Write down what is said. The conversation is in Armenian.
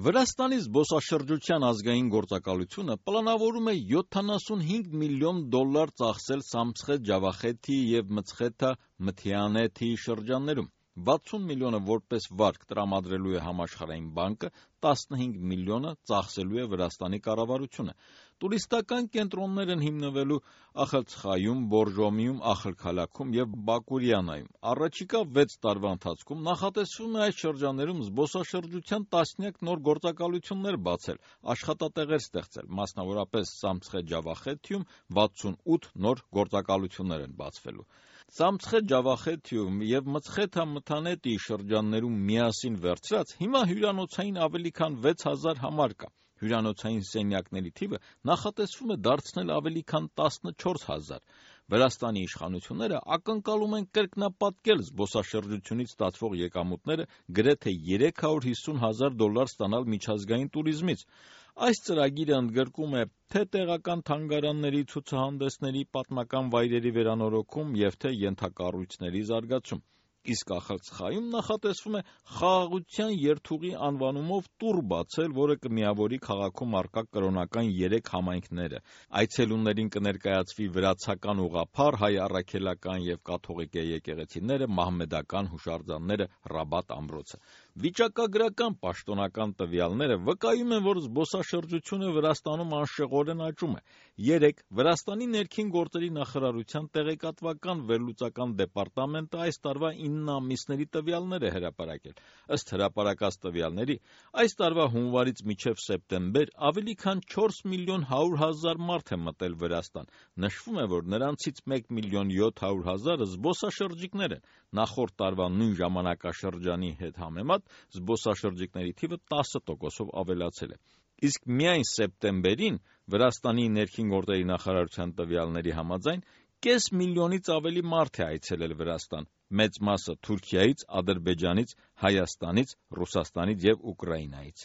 Վրաստանի զբոսաշրջության ազգային գործակալությունը պլանավորում է $75 միլիոն ծախսել Սամցխե-Ջավախեթի և Մցխեթա-Մթիանեթի շրջաններում։ 60 միլիոնը որպես վարկ տրամադրելու է Համաշխարհային բանկը, 15 միլիոնը ծախսելու է Վրաստանի կառավարությունը։ Տուրիստական կենտրոններ են հիմնվելու Ախալցխայում, Բորժոմիում, Ախալքալաքում և Բակուրյանայում։ Առաջիկա 6 տարվա ընթացքում նախատեսվում է այս շրջաններում զբոսաշրջության տասնյակ նոր գործակալություններ բացել, աշխատատեղեր ստեղծել, մասնավորապես Սամցխե-Ջավախեթիում 68 նոր գործակալություններ են բացվելու։ Սամցխե-Ջավախեթիում և Մցխեթա-Մթանետի շրջաններում միասին վերցրած հիմա հյուրանոցային ավելի քան 6000 համար կա։ Հյուրանոցային սենյակների թիվը նախատեսվում է դարձնել ավելի քան 14000։ Վրաստանի իշխանությունները ակնկալում են կրկնապատկել զբոսաշրջությունից ստացվող եկամուտները գրեթե $350,000 ստանալ միջազգային տուրիզմից։ Այս ծրագիրը ընդգրկում է թե տեղական թանգարանների, ցուցահանդեսների, պատմական վայրերի վերանորոգում և թե ենթակառույցների զարգացում։ Իսկ Ախալցխայում նախատեսվում է խաղաղության երթուղի անվանումով տուր բացել, որը կմիավորի քաղաքում առկա կրոնական 3 համայնքները։ Այցելուներին կներկայացվի վրացական ուղղափառ, հայ առաքելական և կաթողիկե եկեղեցիները, մահմեդական հուշարձանները, Ռաբատ ամրոցը։ Վիճակագրական պաշտոնական տվյալները վկայում են, որ զբոսաշրջությունը Վրաստանում անշեղորեն աճում է։ 3 Վրաստանի ներքին գործերի նախարարության տեղեկատվական վերլուծական դեպարտամենտը այս տարվա 9 ամիսների տվյալներ է հրապարակել։ Ըստ հրապարակած տվյալների, այս տարվա հունվարից մինչև սեպտեմբեր ավելի քան 4 միլիոն 100 հազար մարդ է մտել Վրաստան։ Նշվում է, որ նրանցից 1 միլիոն 700 հազարը զբոսաշրջիկներ են։ Նախորդ տարվա նույն ժամանակաշրջանի հետ համեմատ զբոսաշրջիկների թիվը 10%-ով ավելացել է։ Իսկ միայն սեպտեմբերին Վրաստանի ներքին գործերի նախարարության տվյալների համաձայն կես միլիոնից ավելի մարդ է այցելել Վրաստան, մեծ մասը Թուրքիայից, Ադրբեջանից, Հայաստանից, Ռուսաստանից և Ուկրաինայից։